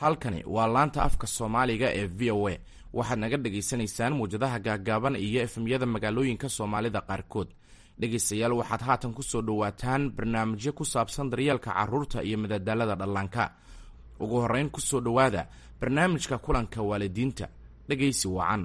Halkani waa laanta afka Soomaaliga ee VOA. Waxaad naga dhagaysanaysaan muwjadaha gaaggaaban iyo FM-yada magaalooyinka Soomaalida qaarkood. Dhegaystayaal, waxaad haatan ku soo dhowaataan barnaamijyo ku saabsan daryeelka carruurta iyo madadaalada dhallaanka. Ugu horrayn, ku soo dhowaada barnaamijka kulanka waalidiinta. Dhegaysi wacan.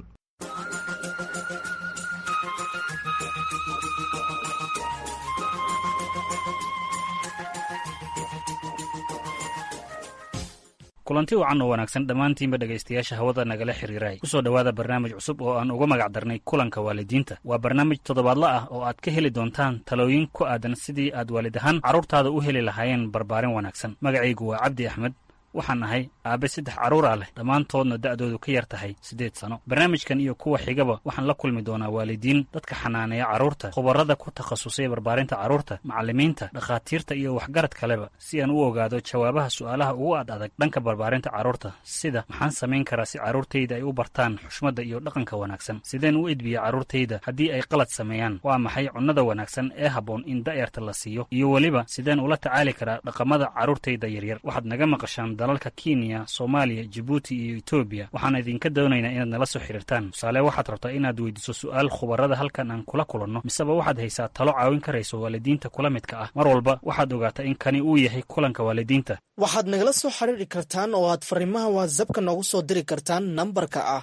Kulanti wacan oo wanaagsan dhammaantiinba, dhegaystayaasha hawada nagala xiriiray. Kusoo dhowaada barnaamij cusub oo aan uga magac darnay kulanka waalidiinta. Waa barnaamij toddobaadla ah oo aad ka heli doontaan talooyin ku aadan sidii aad waalid ahaan carruurtaada u heli lahaayeen barbaarin wanaagsan. Magacaygu waa Cabdi Axmed. Waxaan ahay aabe saddex carruur ah leh, dhammaantoodna da'doodu ka yar tahay 8 sano. Barnaamijkan iyo kuwa xigaba waxaan la kulmi doonaa waalidiin, dadka xanaaneeya carruurta, khubarada ku takhasusay barbaarinta carruurta, macallimiinta, dhakhaatiirta iyo waxgarad kaleba, si aan u ogaado jawaabaha su'aalaha ugu ad adag dhanka barbaarinta carruurta, sida: maxaan samayn karaa si carruurtayda ay u bartaan xushmadda iyo dhaqanka wanaagsan? Sideen u edbiya carruurtayda haddii ay qalad sameeyaan? Waa maxay cunnada wanaagsan ee habboon in da'yarta la siiyo? Iyo weliba, sideen ula tacaali karaa dhaqamada carruurtayda yaryar? Waxaad naga maqashaan dalalka Kenya, Soomaaliya, Jibuuti iyo Etoobiya. Waxaan idinka doonaynaa inaad nala soo xiriirtaan. Tusaale, waxaad rabtaa inaad weydiiso su'aal khubarada halkan aan kula kulanno, miseba waxaad haysaa talo caawin karayso waalidiinta kula midka ah. Mar walba waxaad ogaataa in kani uu yahay kulanka waalidiinta. Waxaad nagala soo xiriiri kartaan oo aad fariimaha WhatsApp-ka noogu soo diri kartaan nambarka ah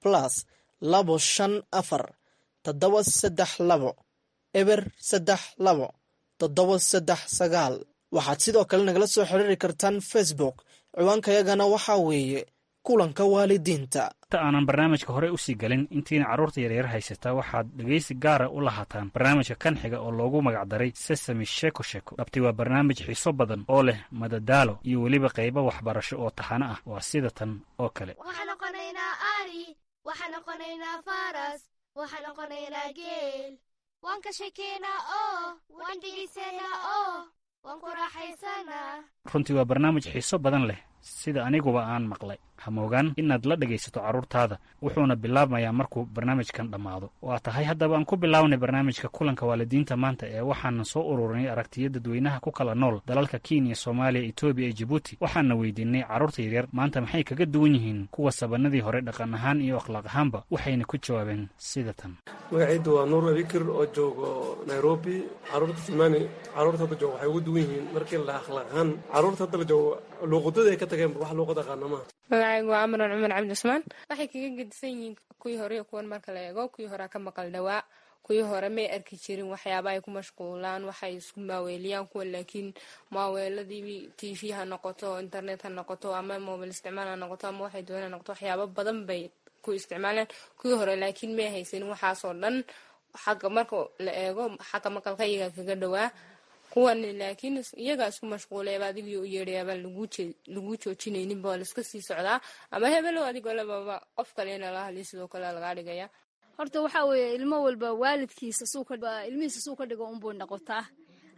+254 732 032 739. Waxaad sidoo kale nagala soo xiriiri kartaan Facebook. Ciwaankayagana waxaa weeye Kulanka Waalidiinta. Inta aanan barnaamijka hore usii galin, intiina carruurta yaryar haysata, waxaad dhegaysi gaara u lahaataan barnaamijka kan xiga oo loogu magacdaray Sesame Sheeko Sheeko. Dhabti waa barnaamij xiiso badan oo leh madadaalo iyo weliba qaybo waxbarasho oo taxano ah. Waa sida tan oo kale. Waxaan noqonaynaa ari, waxaan noqonaynaa faras, waxaan noqonaynaa geel. Waan ka shekeynaa oo waan dhegaysanaa oo waan ku raaxaysanaa. Runtii waa barnaamij xiiso badan leh, sida aniguba aan maqlay. Hamoogaan inaad la dhegaysato carruurtaada, wuxuuna bilaabmayaa markuu barnaamijkan dhammaado. Waa tahay, haddaba aan ku bilaabnay barnaamijka kulanka waalidiinta maanta ee waxaanan soo ururinay aragtiyo dadweynaha ku kala nool dalalka Kenya, Soomaaliya, Etoobiya iyo Jibuuti. Waxaana weydiinay carruurta yaryar maanta maxay kaga duwan yihiin kuwa sabanadii hore dhaqan ahaan iyo akhlaaq ahaanba, waxayna ku jawaabeen sida tan. Magacaydu waa Nuur Abikir oo joogo Nairobi. Caruurta tilmaani, caruurta hadda joogo waxay ugu duwan yihiin markii la akhlaaq ahaan, caruurta hadda la joogo luuqadooda ay ka tageen, wax luuqad aqaana maaha. Magacaygu waa Amran Cumar Cabdi Cusmaan. Waxay kaga gedisan yihiin kuwii hore iyo kuwan marka la eego, kuwii horea ka maqal dhawaa. Kuwii hore may arki jirin waxyaaba ay ku mashquulaan, waxay isku maaweeliyaan kuwa, laakiin maaweeladii TV ha noqoto, internet ha noqoto, ama mobile isticmaal ha noqoto, ama waxay doonaan ha noqoto, waxyaabo badan bay ku isticmaaleen. Kuwii hore laakiin may haysanin waxaasoo dhan. Xagga marka la eego xagga maqalka, iyagaa kaga dhawaa kuwan, laakiin iyagaa isku mashquulayaba. Adigii u yeedhayaabaa lagu joojinayninba, waa laiska sii socdaa, ama hebelow adigoo lababa qof kalena la hadlay, sidoo kale lagaa dhigaya. Horta waxaa weeye, ilmo walba waalidkiisa suu ilmihiisa suu ka dhigo unbuu noqotaa,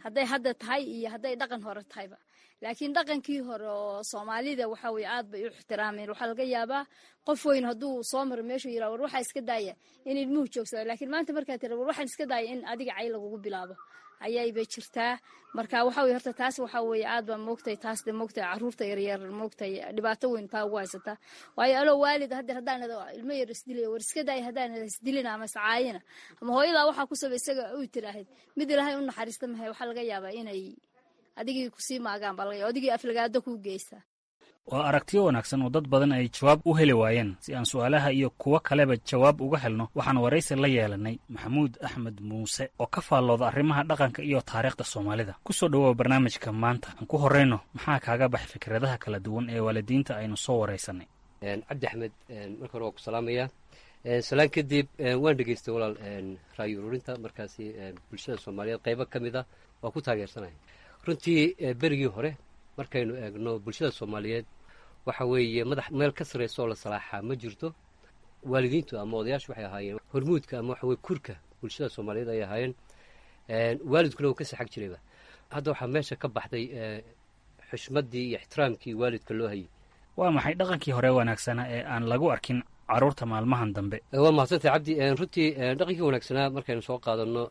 hadday hadda tahay iyo hadday dhaqan hore tahayba. Laakiin dhaqankii hore oo Soomaalida waxa weye aad bay u ixtiraameen. Waxaa laga yaabaa qof weyn hadduu soo maro meeshuu yiraha, "War waxaa iska daaya," in ilmuhu joogsado. Laakiin maanta markaa tira, "War waxaan iska daaya," in adiga cay lagugu bilaabo ayaybay jirtaa. Marka waxa weye, horta taas waxa weye aad baa moogtay taas de moogtay carruurta yaryar moogtay dhibaato weyn taa ugu haysataa. Waayo, aloo waalid haddeer haddaan ilmo yar isdilaya, "War iska daaya," haddaan isdilina ama iscaayina ama "Hooyadaa waxaa ku sabay isaga" uu tiraahid, mid Ilaahay u naxariista mahay, waxaa laga yaabaa inay adigii kusii maagaan baa laga yaaba, adigii aflagaado kuu geysta. Waa aragtiyo wanaagsan oo dad badan ay jawaab u heli waayeen. Si aan su'aalaha iyo kuwo kaleba jawaab uga helno, waxaan waraysi la yeelanay Maxamuud Axmed Muuse oo ka faallooda arrimaha dhaqanka iyo taariikhda Soomaalida. Ku soo dhowoow barnaamijka maanta. Aan ku horrayno, maxaa kaaga baxay fikradaha kala duwan ee waalidiinta aynu soo waraysanay? Cabdi Axmed, marka hore waa ku salaamayaa. Salaan kadib, waan dhegeystay walaal ra'yi ururinta. Markaasi bulshada Soomaaliyeed qaybo ka mid a waa ku taageersanaya. Runtii berigii hore markaynu eegno bulshada Soomaaliyeed, waxa weeye madax meel ka sarreysa oo la salaaxaa ma jirto. Waalidiintu ama odayaashu waxay ahaayeen hormuudka ama waxa weye kurka bulshada Soomaaliyeed ay ahaayeen, waalidkuna uu ka saxag jirayba. Hadda waxaa meesha ka baxday xushmaddii iyo ixtiraamkii waalidka loo hayay. Waa maxay dhaqankii hore wanaagsanaa ee aan lagu arkin carruurta maalmahan dambe? Waa mahadsantahay, Cabdi. Runtii dhaqankii wanaagsanaa markaynu soo qaadano,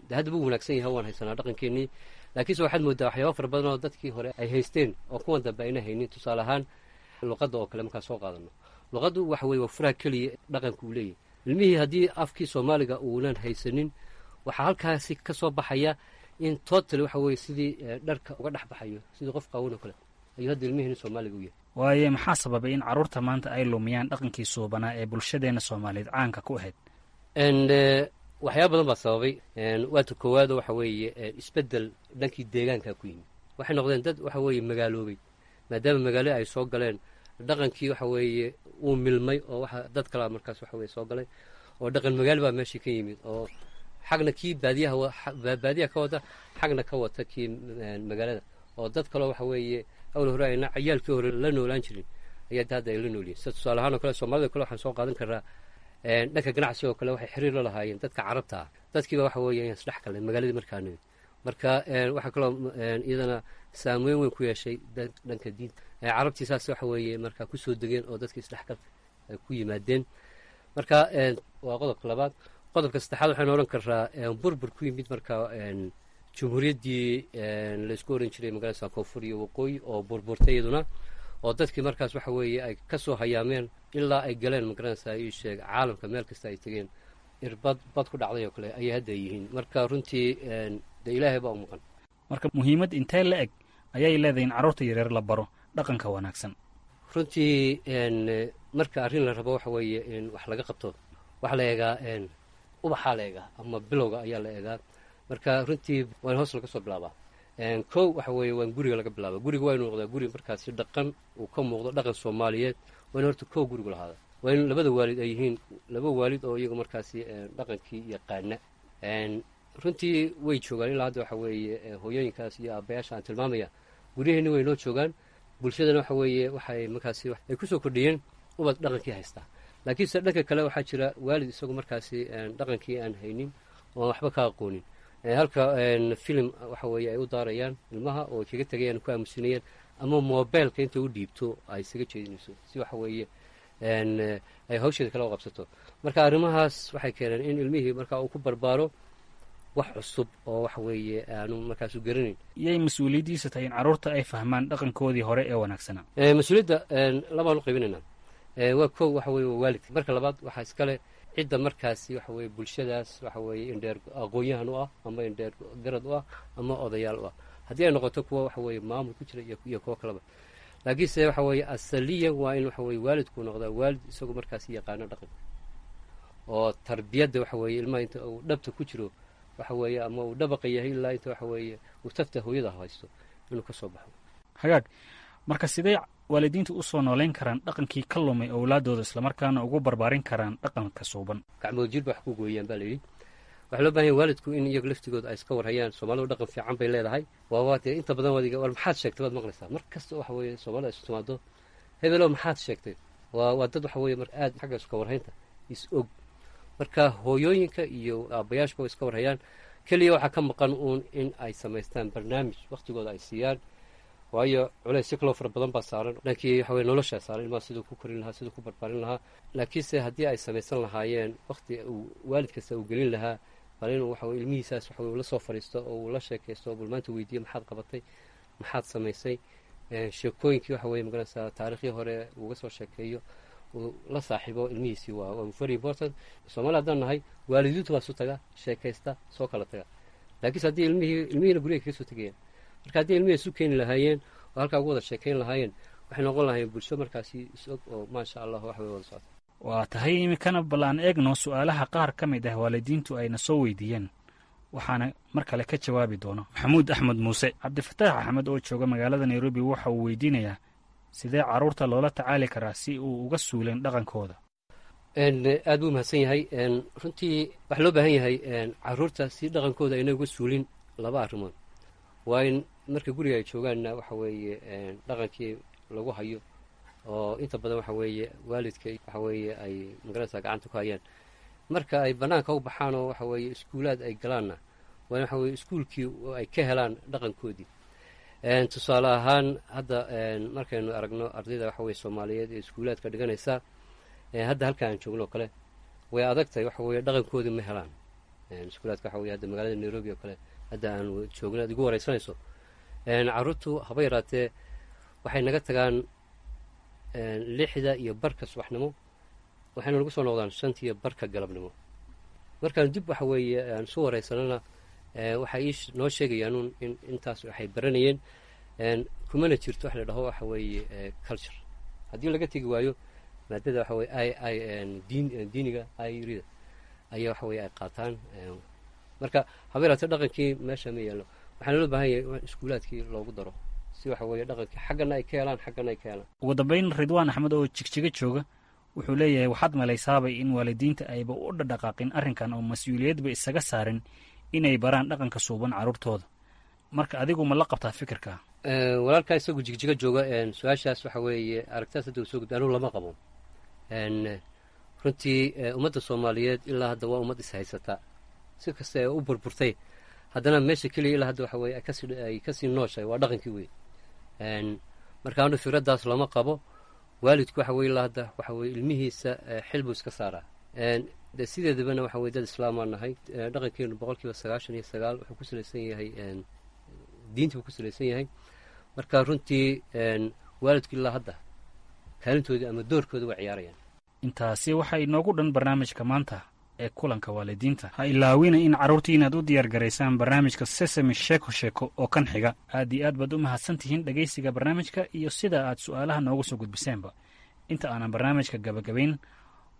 de hadda buu wanaagsan yahay, waan haysanaa dhaqankeenii, laakiinse waxaad moodaa waxyaaba fara badan oo dadkii hore ay haysteen oo kuwan dambe ayna haynin. Tusaale ahaan, Luqadda oo kale markaa soo qaadano, luqaddu waxa weye waa furaha keliya dhaqanka uu leeyahy. Ilmihii haddii afkii Soomaaliga uunan haysanin, waxaa halkaasi ka soo baxaya in totally waxa weye sidii dharka uga dhex baxayo, sidii qof qaawan oo kale ayuu hadda ilmihiina Soomaaliga u yahay. Waaye, maxaa sababay in carruurta maanta ay lumiyaan dhaqankii suubanaa ee bulshadeenna Soomaaliyeed caanka ku ahayd? Waxyaaba badan baa sababay. Waata koowaado, waxa weeye isbeddel dhankii deegaanka ku yimid. Waxay noqdeen dad waxa weeye magaaloobay. Maadaama magaalo ay soo galeen, dhaqankii waxa weeye uu milmay, oo waxa dad kalaa markaas waxa weye soo galay, oo dhaqan magaalo baa meeshii ka yimid, oo xagna kii baadiyaha baadiyaha ka wata, xagna ka wata kii magaalada, oo dad kaloo waxa weeye awal hore ayna ciyaalkii hore la noolaan jirin ayaa hadda ay la noolyihin. Sida tusaale ahaan oo kale, Soomaalida kale waxaan soo qaadan karaa dhanka ganacsiga oo kale, waxay xiriir la lahaayeen dadka Carabta ah. Dadkiiba waxa weeye ayaan isdhex galnay magaaladii markaa nimid. Marka waxaa kaloo iyadana saameyn weyn ku yeeshay dhanka diinta. Carabtii saas waxa weeye markaa kusoo degeen oo dadkii isdhexgalka ay ku yimaadeen. Marka waa qodobka labaad. Qodobka saddexaad waxaynu odhan karaa burbur ku yimid marka jumhuuriyaddii laysku oran jiray magaalada Koonfur iyo Waqooyi oo burburtay iyaduna, oo dadkii markaas waxa weeye ay ka soo hayaameen ilaa ay galeen, magaranaysaa ii sheeg, caalamka meel kasta ay tegeen, irbad bad ku dhacday oo kale ayay hadda yihiin. Marka runtii dee Ilaahay baa u maqan. Marka muhiimad intee la eg ayay leedahay in carruurta yaryar la baro dhaqanka wanaagsan? Runtii marka arrin la rabo waxa weeye in wax laga qabto, waxaa la eegaa ubaxaa la eegaa ama bilowga ayaa la eegaa. Marka runtii waa in hoos laga soo bilaabaa. Kow waxa weeye waa in guriga laga bilaaba. Guriga waa inu noqdaa guri markaasi dhaqan uu ka muuqdo, dhaqan Soomaaliyeed waa in horta kow gurigu lahaada. Waa in labada waalid ay yihiin laba waalid oo iyagu markaasi dhaqankii yaqaana. Runtii way joogaan ilaa hadda waxa weeye hooyooyinkaas iyo aabbayaasha aan tilmaamaya, guryaheenni way noo joogaan. Bulshadana waxa weeye waxay markaasi ay kusoo kordhiyeen ubad dhaqankii haystaa. Laakiinse dhanka kale waxaa jira waalid isagu markaasi dhaqankii aan haynin oon waxba ka aqoonin, halka filim waxa weeye ay u daarayaan ilmaha oo kaga tegayaan, ku aamusinayaan, ama mobilka inta u dhiibto ay isaga jeedinayso si waxa weeye ay hawsheeda kala qabsato. Marka arrimahaas waxay keeneen in ilmihii marka uu ku barbaaro wax cusub oo waxa weeye aanu markaasu garanayn. Yay mas-uuliyaddiisa tahay in carruurta ay fahmaan dhaqankoodii hore ee wanaagsanaa? Mas-uuliyadda labaan u qaybinaynaa. Waa kow, waxa weye waa waalidka. Marka labaad waxaa iskale cidda markaasi waxa weye bulshadaas waxa weeye indheer aqoon-yahan u ah ama indheer garad u ah ama odayaal u ah, haddii ay noqoto kuwa waxa weeye maamul ku jira iyo kuwo kaleba. Laakiinse waxa weeye asaliyan waa in waxa weye waalidku noqdaa waalid isagu markaasi yaqaano dhaqanka oo tarbiyadda waxa weeye ilmaha inta uu dhabta ku jiro waxa weeye ama uu dhabaqa yahay ilaa inta waxa weeye uu tafta hooyada haysto inuu ka soo baxo. Hagaag. Marka sidee waalidiintu u soo nooleyn karaan dhaqankii ka lumay owlaadooda, islamarkaana ugu barbaarin karaan dhaqanka suuban? Gacmood jir ba wax ku gooyaan baa layidhi. Waxaa loo bahan yahy waalidku in iyagu laftigooda ay iska warhayaan. Soomaalidu dhaqan fiican bay leedahay. Waawaa dee inta badan wadiga war maxaad sheegtay baad maqlaysaa mar kasta waxa weeye Soomaalida isu timaado, hebelow maxaad sheegtay. Waa dad waxa weeye marka aad xagga iska warhaynta is og. Marka hooyooyinka iyo aabbayaashka way iska warhayaan, keliya waxaa ka maqan uun in ay samaystaan barnaamij wakhtigooda ay siiyaan, waayo culaysyo kaloo fara badan baa saaran dhankii waxa weye noloshaa saaran, ilmaha siduu ku korin lahaa, siduu ku barbaarin lahaa. Laakiinse haddii ay samaysan lahaayeen wakhti uu waalid kasta uu gelin lahaa bal inuu waxa weye ilmihiisaas waxa weye ula soo fadhiisto oo uu la sheekaysto oo bal maanta weydiiyo maxaad qabatay, maxaad samaysay, sheekooyinkii waxa weye magaranaysaa taariikhdii hore uga soo sheekeeyo, uu la saaxiibo ilmihiisii, waa very important. Soomaali haddaan nahay, waalidiintu baa isu taga, sheekaysta, soo kala taga. Laakiinse haddii ilmihii ilmihiina guriga kaga soo tegayaan, marka haddii ilmihii isu keeni lahaayeen oo halkaa ugu wada sheekayn lahaayeen, waxay noqon lahaayeen bulsho markaasi is-og oo maasha Allah wax way wada socota. Waa tahay. Iminkana bal aan eegno su'aalaha qaar ka mid ah waalidiintu ayna soo weydiiyeen, waxaana mar kale ka jawaabi doono Maxamuud Axmed Muuse. Cabdifataax Axmed oo jooga magaalada Nairobi waxa uu weydiinayaa sidee carruurta loola tacaali karaa si uu uga suuleen dhaqankooda? Aad buu mahadsan yahay. Runtii waxaa loo baahan yahay carruurta si dhaqankooda ayna uga suulin laba arrimood. Waa in marka guriga ay joogaanna waxa weeye dhaqankii lagu hayo, oo inta badan waxa weeye waalidka waxa weeye ay magaranaysaa gacanta ku hayaan. Marka ay bannaanka u baxaan oo waxa weeye iskuulaad ay galaanna, waa in waxa weye iskuulkii ay ka helaan dhaqankoodii. Tusaale ahaan hadda markaynu aragno ardayda waxa weye Soomaaliyeed ee iskuulaadka dhiganaysa hadda halka aan joogno oo kale, way adag tahay, waxa weye dhaqankoodii ma helaan iskuulaadka. Waxa weye hadda magaalada Nairobi oo kale hadda aan joogno aad igu wareysanayso, carruurtu haba yaraatee waxay naga tagaan 6:15 subaxnimo, waxayna nagu soo noqdaan 5:30 galabnimo. Markaan dib waxa weeye aan isu wareysanana, waxay ii noo sheegayaanuun in intaas waxay baranayeen. Kumana jirto wax la dhaho waxa weeye culture haddii laga tegi waayo maadada waxa weye i diin diiniga irida ayaa waxa weye ay qaataan. Marka habeeraate dhaqankii meesha ma yaallo. Waxaana loo baahan yahay in iskuulaadkii loogu daro si waxa weeye dhaqankii xaggana ay ka helaan, xaggana ay ka helaan. Ugu dambayn, Ridwaan Axmed oo Jigjiga jooga wuxuu leeyahay, waxaad malaysaabay in waalidiinta ayba u dhadhaqaaqin arrinkan oo mas-uuliyadba isaga saarin inay baraan dhaqanka suuban carruurtooda. Marka adigu ma la qabtaa fikirka? Walaalkaa isagu Jigjiga jooga, su-aashaas waxa weeye aragtaas hadda uu soo gudbay, anugu lama qabo. Runtii ummadda Soomaaliyeed ilaa hadda waa ummad ishaysata. Si kasta ee u burburtay, haddana meesha keliya ilaa hadda waxa weye ay kasii nooshahay waa dhaqankii wey. Marka anu fikraddaas lama qabo. Waalidku waxa weye ilaa hadda waxa weye ilmihiisa xil buu iska saaraa. De sideedabana waxa weye dad islaamaa nahay. Dhaqankeenu 99% wuxuu ku salaysan yahay diinta buu ku salaysan yahay. Marka runtii waalidku ilaa hadda kaalintoodii ama doorkooda waa ciyaarayaan. Intaasi waxaa inoogu dhan barnaamijka maanta ee kulanka waalidiinta. Ha ilaawina in carruurtii inaad u diyaar garaysaan barnaamijka Sesame Sheeko Sheeko oo kan xiga. Aad iyo aad baad u mahadsan tihiin dhegaysiga barnaamijka iyo sida aad su'aalaha noogu soo gudbiseenba. Inta aanan barnaamijka gabagabayn,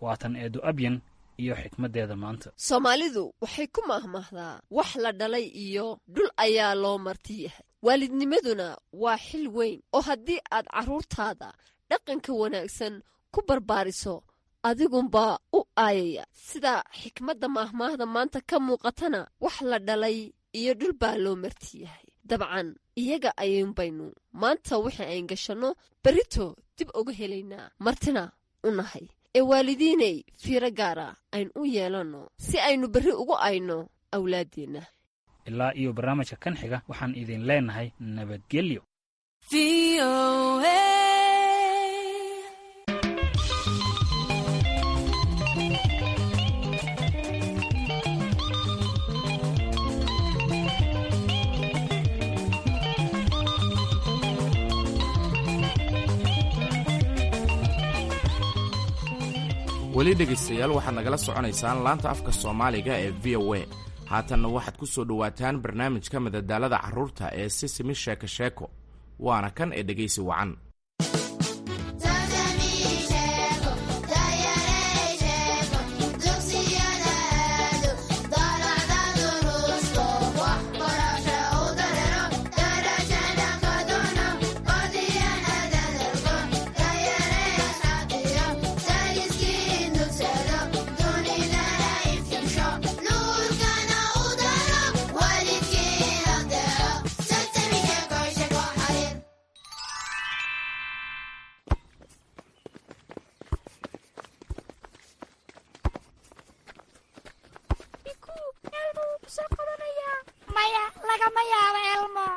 waatan Eedo Abyan iyo xikmaddeeda maanta. Soomaalidu waxay ku mahmahdaa, wax la dhalay iyo dhul ayaa loo marti yahay. Waalidnimaduna waa xil weyn oo haddii aad carruurtaada dhaqanka wanaagsan ku barbaariso, adigunbaa u aayaya. Sida xikmadda maahmaahda maanta ka muuqatana, wax la dhalay iyo dhul baa loo marti yahay. Dabcan iyaga ayuunbaynu maanta wixii ayn gashanno berrito dib uga helaynaa, martina u nahay. Ee waalidiinay, fiiro gaara aynu u yeelanno si aynu berri ugu ayno awlaaddeenna. Ilaa iyo barnaamijka kan xiga, waxaan idin leenahay nabadgelyo. Weli dhegaystayaal, waxaad nagala soconaysaan laanta afka Soomaaliga ee VOA. Haatanna waxaad ku soo dhowaataan barnaamijka madadaalada carruurta ee Sisimi Sheeko Sheeko. Waana kan ee dhegaysi wacan. Maya, lagama yaabo, Elmo.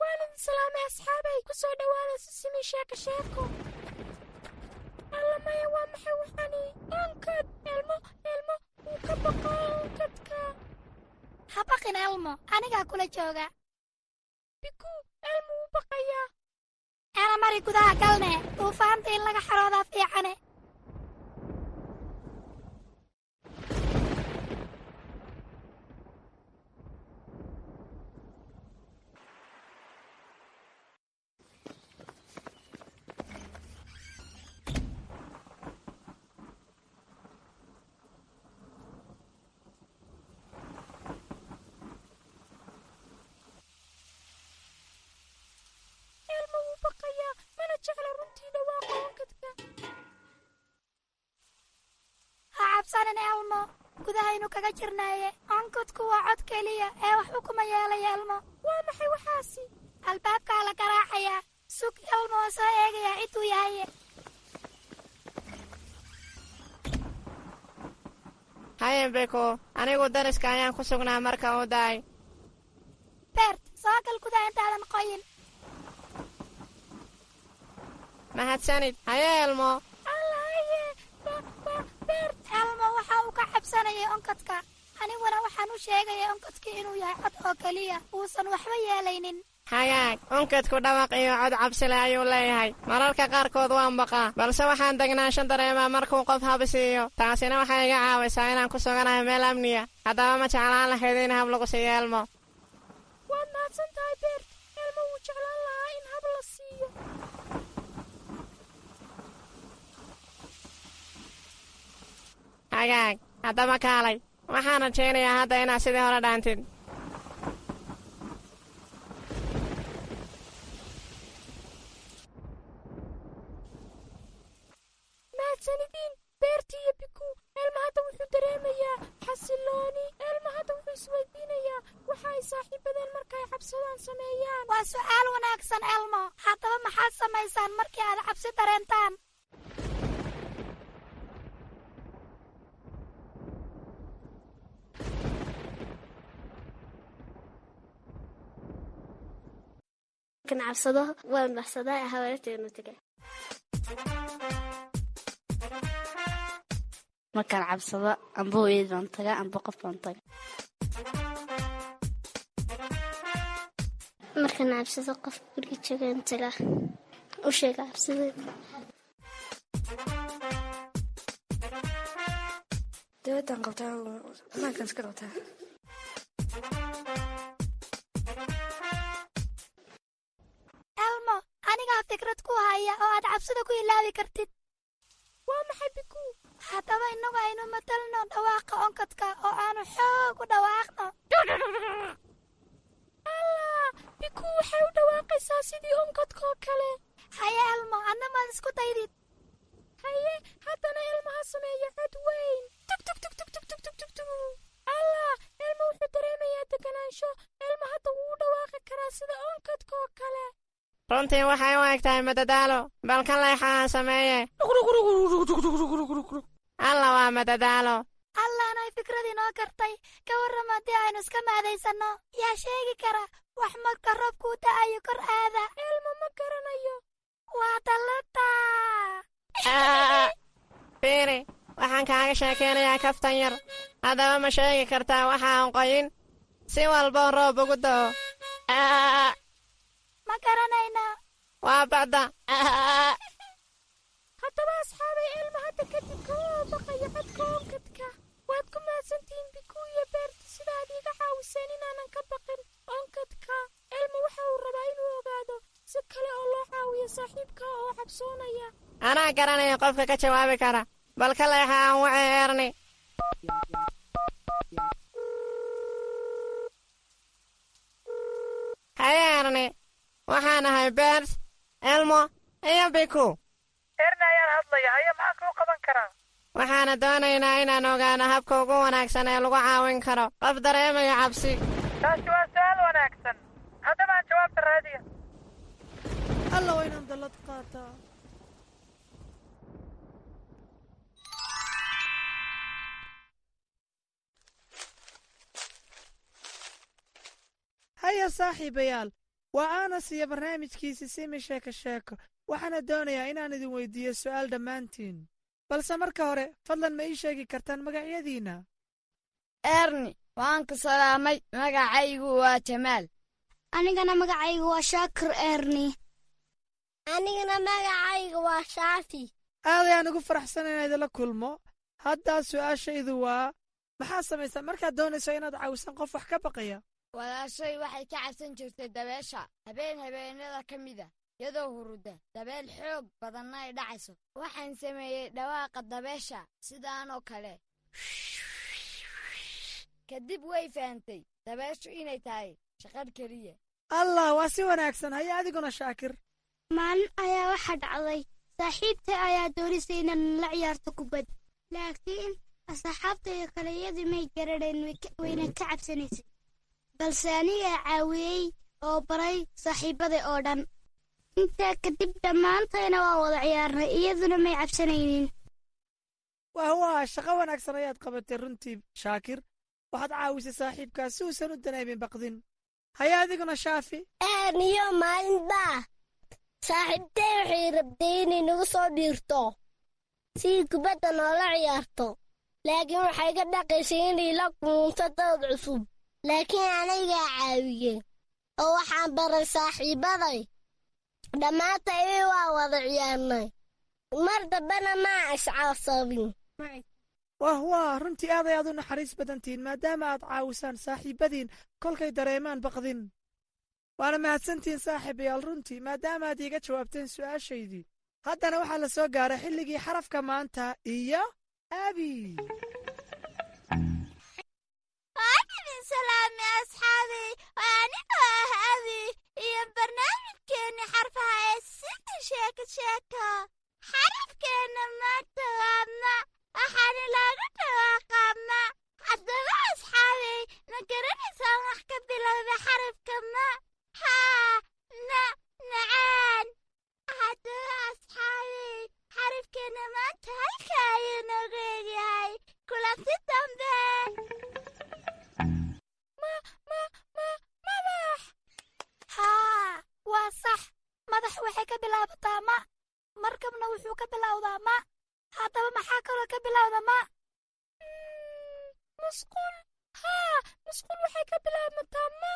Waalid salaamay asxaabay, ku soo dhowaada Sisimi Sheeko Sheeko. Alla maya, waa maxay waxani? Onkad! Elmo, Elmo wuu ka baqaa onkadka. Ha baqin, Elmo, anigaa kula jooga. Biku, Elmo wuu baqayaa. Mari gudaha galne, duufaanta in laga xaroodaa fiicane. Elmo wuu baqayaa, mana jecla runtii dhawaaqa onkadka. Ha cabsanin, Elmo, gudahaynu kaga jirnaaye. Onkadku waa cod keliya ee waxba kuma yeelaya. Elmo, waa maxay waxaasi? Albaabkaa la garaacayaa. Sug, Elmo oo soo eegayaa ciduu yahaye. Haye Beko, anigu dariska ayaan ku sugnaa marka uu daay. Bert, soo gal gudaha intaadan qoyin. Mahadsanid. Haye Elmo. Alla haye Bert. Elmo waxa uu ka cabsanayay onkadka, aniguna waxaan u sheegayay onkadkii inuu yahay cod oo keliya, uusan waxba yeelaynin. Hagaag, onkadku dhawaq iyo cod cabsile ayuu leeyahay. Mararka qaarkood waan baqaa, balse waxaan degnaansho dareemaa markuu qof habisiiyo. Taasina waxay iga caawisaa inaan ku suganahay meel amniya. Haddaba ma jeclaan lahayd in hab lagu siiyo Elmo? Waad mahadsan tahay, Beert. Elmo wuu jeclaan lahaa in hab la siiyo. Hagaag, haddaba kaalay. Waxaan rajaynayaa hadda inaad sidii hore dhaantid. Mahadsanidin, Beerti iyo Biku. Elmo hadda wuxuu dareemayaa xasilooni. Elmo hadda wuxuu isweydiinayaa waxa ay saaxiibadeen marka ay cabsadaan sameeyaan. Waa su'aal wanaagsan, Elmo. Haddaba maxaad samaysaan markii aad cabsi dareentaan? Markaan cabsado waan baxsadaa, habaryartayna taga. Markaan cabsado amba hooyad baan tagaa amba qof baan taga. Markaan cabsado qof guriga joogaan tagaa, u sheega cabsideeda. Dawladaan qabtaa, banaankaan iska qabtaa. Elmo, anigaa fikrad ku haya oo aad cabsida ku ilaawi kartid. Waa maxay, Biku? Haddaba innagu aynu matalno dhawaaqa onkadka oo aanu xoog u dhawaaqno. Allah, Biku waxay u dhawaaqaysaa sidii onkadkaoo kale. Haye Elmo, adna maad isku daydid. Haye, haddana Elmo ha sameeya cod weyn. Tug tug tug tug tug tug tug tug tug. Allah, Elmo wuxuu dareemayaa deganaansho. Elmo hadda wuu u dhawaaqi karaa sida onkadkaoo kale. Runtii waxay u eg tahay madadaalo. Bal ka leexa aan sameeye. Alla, waa madadaalo. Allaanay fikrad inoo gartay. Ka warram haddii aynu iska maadaysanno? Yaa sheegi kara wax marka roobkuu da'ayo kor aada? Elmo ma garanayo. Waa dallada. Fiiri, waxaan kaaga sheekaynayaa kaftan yar. Haddaba ma sheegi kartaa waxa aan qoyin si walboo roob ugu da'o? Ma garanaynaa. Waa bacda. Haddaba asxaabay, Elmo hadda kadib kama baqayo codka onkadka. Waad ku mahadsantihiin, Biku iyo Beerti, sida aad iiga caawiseen inaanan ka baqin onkadka. Elmo waxa uu rabaa inuu ogaado si kale oo loo caawiyo saaxiibka oo cabsoonaya. Anaa garanaya qofka ka jawaabi kara. Bal ka leexa aan wacay Erni. Haye Erni, waxaan ahay Bert, Elmo iyo Biku. Erni ayaan hadlaya. Haye, maxaa kuu qaban karaa? Waxaana doonaynaa inaan ogaano habka ugu wanaagsan ee lagu caawin karo qof dareemaya cabsi. Taasi waa su'aal wanaagsan. Haddaba aan jawaabta raadiya. Alla, waa inaan dallad qaataa. Haya saaxiibayaal, waa Anas iyo barnaamijkiisi Simi Sheeko Sheeko. Waxaana doonayaa inaan idin weydiiyo su'aal dhammaantiin, balse marka hore fadlan ma ii sheegi kartaan magacyadiinna? Erni, waan ku salaamay. Magacaygu waa Jamaal. Anigana magacaygu waa Shaakir, Erni. Anigana magacaygu waa Shaafi. Aad ayaan ugu faraxsan inaan idinla kulmo. Haddaa su'aashaydu waa, maxaa samaysaa markaad doonayso inaad caawisan qof wax ka baqaya? Walaashay waxay ka cabsan jirtay dabeesha. Habeen habeenada ka mida, iyadoo huruda, dabeel xoog badanna ay dhacayso, waxaan sameeyey dhawaaqa dabeesha sidaanoo kale. Kadib way fahantay dabeeshu inay tahay shaqadh keliya. Allah, waa si wanaagsan. Haya adiguna, Shaakir. Maalin ayaa waxaa dhacday saaxiibtay ayaa doonisay inaan la ciyaarto kubad, laakiin asxaabtayda kale iyadii may garanayn, wayna ka cabsanaysay, balse anigaa caawiyey oo baray saaxiibaday oo dhan. Intaa kadib dhammaantayna waa wada ciyaarnay, iyaduna may cabsanaynin. Wah waa shaqo wanaagsan ayaad qabatay runtii, Shaakir. Waxaad caawisay saaxiibkaas si uusan u dareemin baqdin. Haya adiguna, Shaafi. Erniyo, maalinbaa saaxiibtay waxay rabtay inay nagu soo dhiirto si kubadda noola ciyaarto, laakiin waxay ka dhaqaysay inay la kulunto dad cusub, laakiin anigaa caawiyey. Oo waxaan baray saaxiibbaday. Dhammaantay waa wada ciyaarnay. Mar dambena maa iscasabin. Wah wah, runtii aad ayaad u naxariis badantihiin maadaama aad caawisaan saaxiibbadiin kolkay dareemaan baqdin. Waana mahadsantihiin saaxiibayaal runtii maadaama aad iiga jawaabteen su'aashaydii. Haddana waxaa la soo gaaray xilligii xarafka maanta iyo Abi. Waan idin salaamay asxaabay, waa anigoo ah Abi iyo barnaamijkeenni xarfaha ee Sida Sheeko Sheeko. Xarafkeenna maanta waa ma, waxaana loogu dhawaaqaa ma. Haddaba asxaabay, ma garanaysaan wax ka bilowda xarafka ma? Haa, ma macaan. Haddaba asxaabay, xarafkeenna maanta halka ayuu noogu egyahay. Kulanti dambe. Ma ma ma madax. Haa, waa sax. Madax waxay ka bilaabataa ma, markabna wuxuu ka bilowdaa ma. Haddaba maxaa kaloo ka bilowda ma? Musqul. Haa, musqul waxay ka bilaabmataa ma.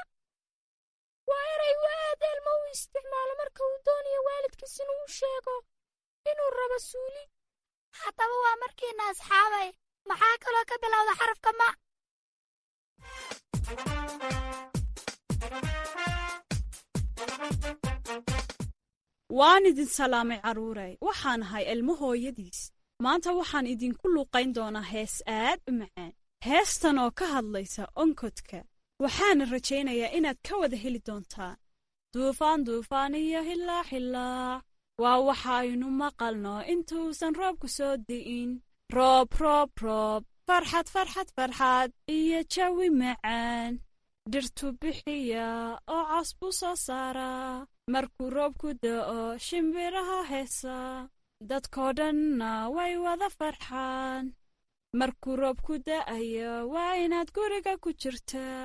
Waa erey uu aad Elmo u isticmaalo marka uu doonayo waalidkiis inuu u sheego inuu rabo suuli. Haddaba waa markiina asxaabay, maxaa kaloo ka bilowda xarafka ma? Waan idin salaamay carruuray. Waxaan ahay Elmo hooyadiis. Maanta waxaan idinku luuqayn doonaa hees aad u macaan, heestan oo ka hadlaysa onkodka. Waxaana rajaynayaa inaad ka wada heli doontaan. Duufaan, duufaan iyo hilaac, hilaac waa waxaynu maqalno intuusan roobku soo di'in. Roob, roob, roob, farxad, farxad, farxad iyo jawi macaan. Dhirtu bixiya oo caws buu soo saaraa. Markuu roobku da'o shimbiraha heesa, dadkoo dhanna way wada farxaan. Markuu roobku da'ayo waa inaad guriga ku jirtaa.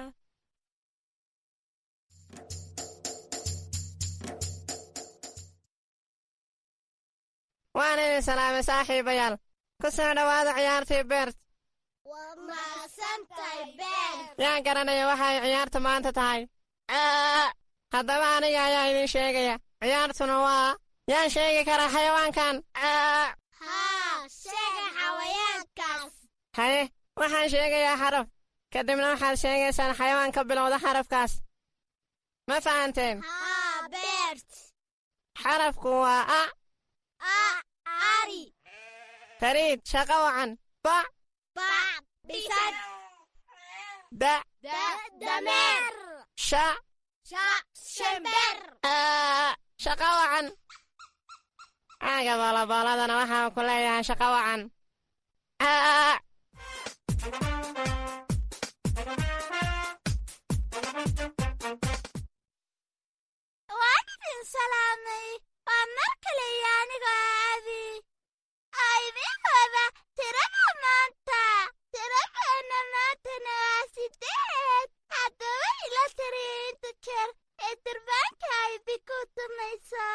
Waan idin salaamay saaxiibayaal. Ku soo dhowaada ciyaartii Beert. Waa mahadsantahay, Beert. Yaan garanaya waxa ay ciyaartu maanta tahay? Haddaba aniga ayaa idin sheegaya. Ciyaartuna waa yaan sheegi karaa xayawaankan? Haa, sheega xayawaankaas. Haye, waxaan sheegayaa xaraf, kadibna waxaad sheegaysaan xayawaan ka bilowda xarafkaas. Ma fahanteen? Haa, Beert. Xarafku waa a. A, ari. Fariid, shaqo wacan. Ba. Ba, bisad. Da. Da, dameer. Sha. Sha, shimbir. Shaqo wacan. Caaga boolabooladana waxaan ku leeyahay shaqo wacan. Waan idin salaamay, waa mar kale iyo anigoo ah Abi oo idiin wada tirada maanta. Tiradeenna maantana waa 8. Haddaba ila tiriya inta jeer ee durbaanka ay Biku tumayso.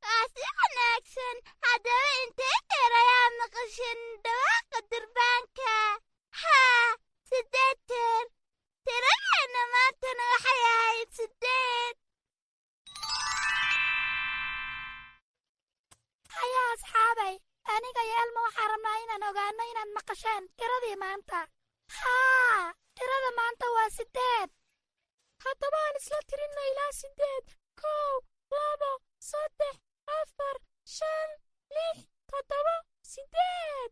Waa si wanaagsan. Haddaba intee jeer ayaa maqashin dhawaaqa durbaanka? Haa, 8 jeer. Tiradeenna maantana waxay ahayd 8. Hayaa asxaabay, aniga iyo Elmo waxaan rabnaa inaan ogaano inaad maqasheen tiradii maanta. Haa, tirada maanta waa 8. Haddaba aan isla tirinno ilaa 8. 1, 2, 3, 4, 5, 6, 7, 8.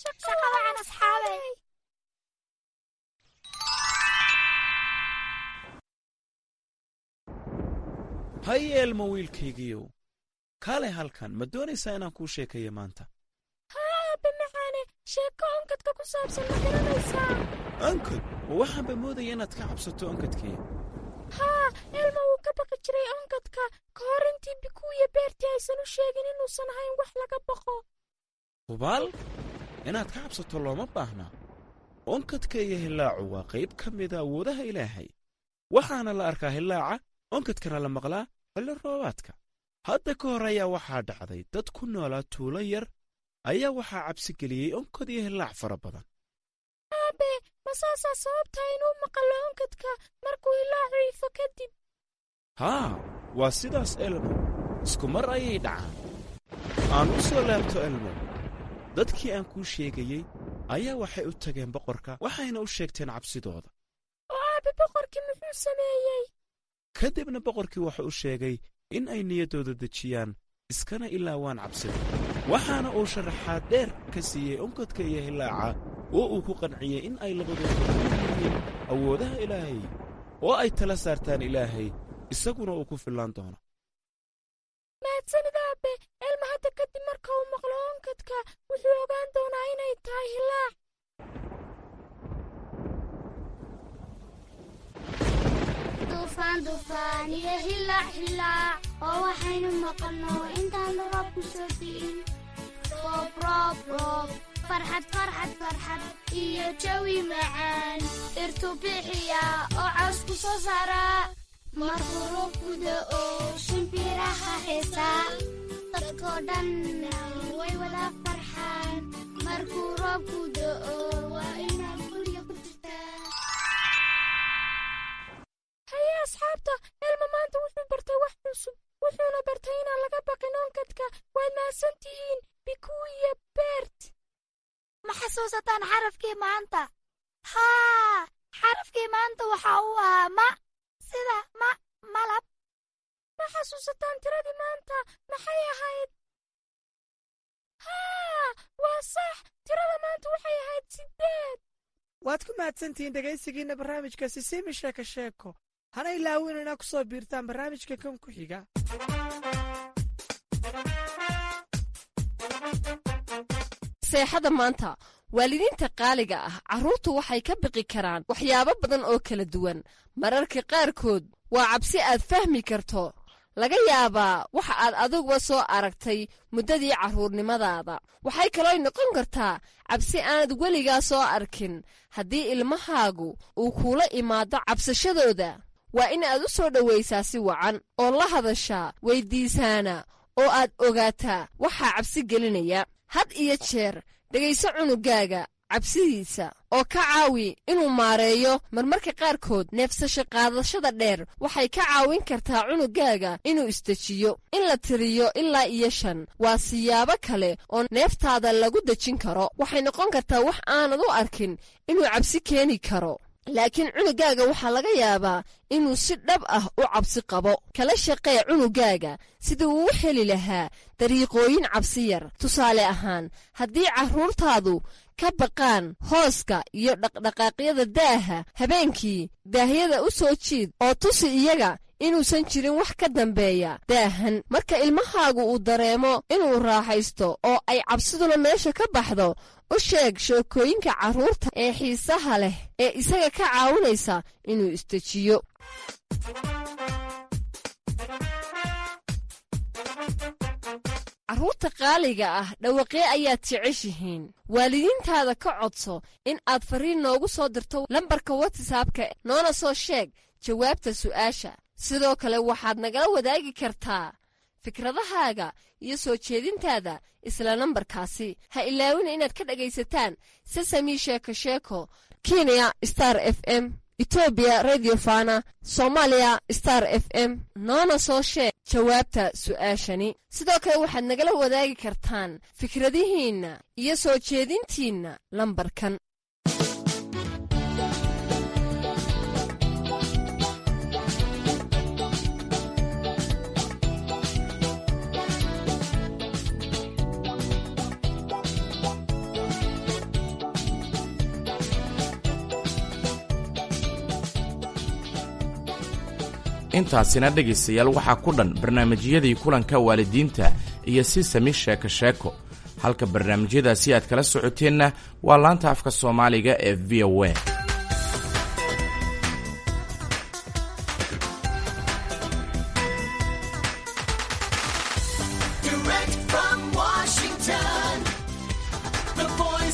Shaqo wacan asxaabay. Haye Elmo wiilkaygiiyow, kaalay halkan. Ma doonaysaa inaan kuu sheekayo maanta? Haa aabbe macaane, sheeko onkadka ku saabsan ma garanaysaa? Onkod? Ma waxaanba moodaya inaad ka cabsato onkadkii. Haa, Elmo wuu ka baqi jiray onkadka ka hor intii Bikuu iyo Beertii aysan u sheegin inuusan ahayn wax laga baqo. Hubaal inaad ka cabsato looma baahna. Onkadka iyo hillaacu waa qayb ka mida awoodaha Ilaahay. Waxaana la arkaa hillaaca, onkadkana la maqlaa xilli roobaadka. Hadda ka hor ayaa waxaa dhacday dad ku noolaa tuulo yar ayaa waxaa cabsi geliyey onkod iyo hillaac fara badan. Aabe, ma saasaa sababta inuu maqallo onkadka markuu hilaacu ifo kadib? Haa, waa sidaas Elmo, isku mar ayay dhacaan. Aan u soo laabto Elmo. Dadkii aan kuu sheegayey ayaa waxay u tageen boqorka, waxayna u sheegteen cabsidooda. Oo aabe, boqorkii muxuu sameeyey? Kadibna boqorkii wuxuu u sheegay in ay niyaddooda dejiyaan iskana ilaawaan cabsida, waxaana uu sharaxaad dheer ka siiyey onkodka iyo hillaaca oo uu ku qanciyey in ay labadooda ku yihiin awoodaha Ilaahay oo ay tala saartaan Ilaahay, isaguna uu ku fillaan doono. Mahadsanid aabe. Elma hadda kadib marka uu maqlo onkadka wuxuu ogaan doonaa inay tahay hilaac. Duufaan, duufaan iyo hilaac, hilaac oo waxaynu maqalno intaan roobku soo di'in. Roob, roob, roob, farxad, farxad, farxad iyo jawi macaan. Dhirtu bixiya oo cawsku soo saaraa. Markuu roobku da'o shimbiraha heesaa. Dadkoo dhanna way wada farxaan. Markuu roobku da'o waa inaad guriga ku jirtaa. Haye asxaabta, Elma maanta wuxuu bartay wax cusub, wuxuuna bartay inaan laga baqin onkadka. Waad mahadsan tihiin Bikuu iyo Bert. Ma xasuusataan xarafkii maanta? Haa, xarafkii maanta waxa uu ahaa ma, sida ma malab. Ma xasuusataan tiradii maanta maxay ahayd? Haa, waa sax, tirada maanta waxay ahayd 8. Waad ku mahadsantihiin dhegaysigiinna barnaamijka Sisimi Sheeko Sheeko. Hana ilaawin inaa ku soo biirtaan barnaamijka kan ku xiga. Seexada maanta, waalidiinta qaaliga ah, carruurtu waxay ka biqi karaan waxyaabo badan oo kala duwan. Mararka qaarkood waa cabsi aad fahmi karto, laga yaabaa waxa aad adiguba soo aragtay muddadii carruurnimadaada. Waxay kaloo noqon kartaa cabsi aanad weligaa soo arkin. Haddii ilmahaagu uu kuula imaado cabsashadooda, waa in aad u soo dhowaysaa si wacan oo la hadashaa, weyddiisaana oo aad ogaataa waxaa cabsi gelinaya. Had iyo jeer dhegayso cunugaaga cabsidiisa oo ka caawi inuu maareeyo. Marmarka qaarkood neefsasho qaadashada dheer waxay ka caawin kartaa cunugaaga inuu isdejiyo. In la tiriyo ilaa iyo 5 waa siyaabo kale oo neeftaada lagu dejin karo. Waxay noqon kartaa wax aanad u arkin inuu cabsi keeni karo, laakiin cunugaaga waxaa laga yaabaa inuu si dhab ah u cabsi qabo. Kala shaqee cunugaaga sidii uu u heli lahaa dariiqooyin cabsi yar. Tusaale ahaan, haddii carruurtaadu ka baqaan hooska iyo dhaqdhaqaaqyada daaha habeenkii, daahyada u soo jiid oo tusi iyaga inuusan jirin wax ka dambeeya daahan. Marka ilmahaagu uu dareemo inuu raaxaysto oo ay cabsiduna meesha ka baxdo, u sheeg sheekooyinka carruurta ee xiisaha leh ee isaga ka caawinaysa inuu isdejiyo. Carruurta qaaliga ah, dhawaqee ayaad jeceshihiin? Waalidiintaada ka codso in aad fariin noogu soo dirto lambarka Watsaabka, noona soo sheeg jawaabta su'aasha. Sidoo kale waxaad nagala wadaagi kartaa fikradahaaga iyo soo jeedintaada isla nambarkaasi. Ha ilaawina inaad ka dhegaysataan Sesami Sheeko Sheeko Kenya Star FM, Etoobiya Radio Fana, Soomaaliya Star FM. Noona soo sheeg jawaabta su'aashani. Sidoo kale waxaad nagala wadaagi kartaan fikradihiinna iyo soo jeedintiinna lambarkan. Intaasina dhegaystayaal waxaa ku dhan barnaamijyadii kulanka waalidiinta iyo Sisami Sheeko Sheeko. Halka barnaamijyadaasi aad kala socoteenna waa laanta afka Soomaaliga ee VOA.